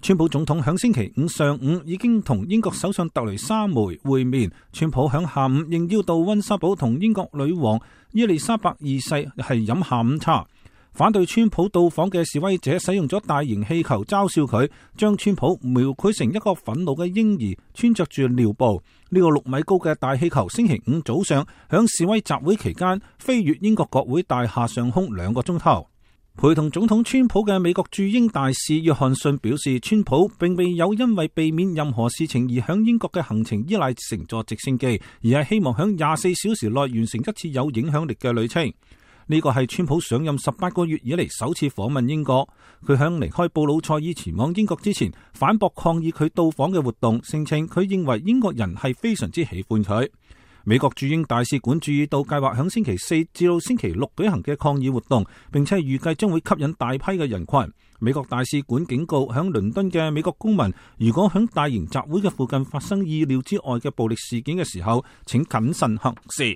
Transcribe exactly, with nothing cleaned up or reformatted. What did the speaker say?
川普總統響星期五上午已經同英國首相特蕾莎梅會面，川普響下午應邀到溫莎堡同英國女王伊麗莎白二世係飲下午茶。反對川普到訪嘅示威者使用咗大型氣球嘲笑佢，將川普描繪成一個憤怒嘅嬰兒，穿着住尿布。呢個六米高嘅大氣球星期五早上響示威集會期間飛越英國國會大廈上空兩個鐘頭。陪同總統川普嘅美國駐英大使約翰遜表示，川普並未有因為避免任何事情而響英國嘅行程依賴乘坐直升機，而係希望響廿四小時內完成一次有影響力嘅旅程。呢個係川普上任十八個月以嚟首次訪問英國。佢響離開布魯塞爾前往英國之前，反駁抗議佢到訪嘅活動，聲稱佢認為英國人係非常之喜歡佢。美國駐英大使館注意到計劃響星期四至到星期六舉行嘅抗議活動，並且預計將會吸引大批嘅人群。美國大使館警告響倫敦嘅美國公民，如果響大型集會嘅附近發生意料之外嘅暴力事件嘅時候，請謹慎行事。